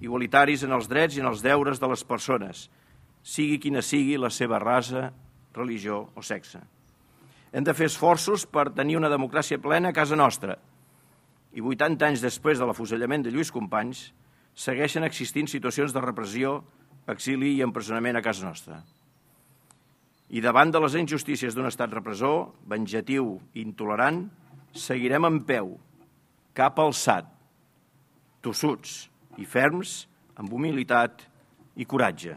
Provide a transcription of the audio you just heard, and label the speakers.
Speaker 1: igualitaris en els drets i en els deures de les persones, sigui quina sigui la seva raça, religió o sexe. Hem de fer esforços per tenir una democràcia plena a casa nostra i 80 anys després de l'afusellament de Lluís Companys segueixen existint situacions de repressió, exili i empresonament a casa nostra. I davant de les injustícies d'un estat repressor, venjatiu i intolerant, seguirem en peu, cap alçat, tossuts i ferms, amb humilitat i coratge.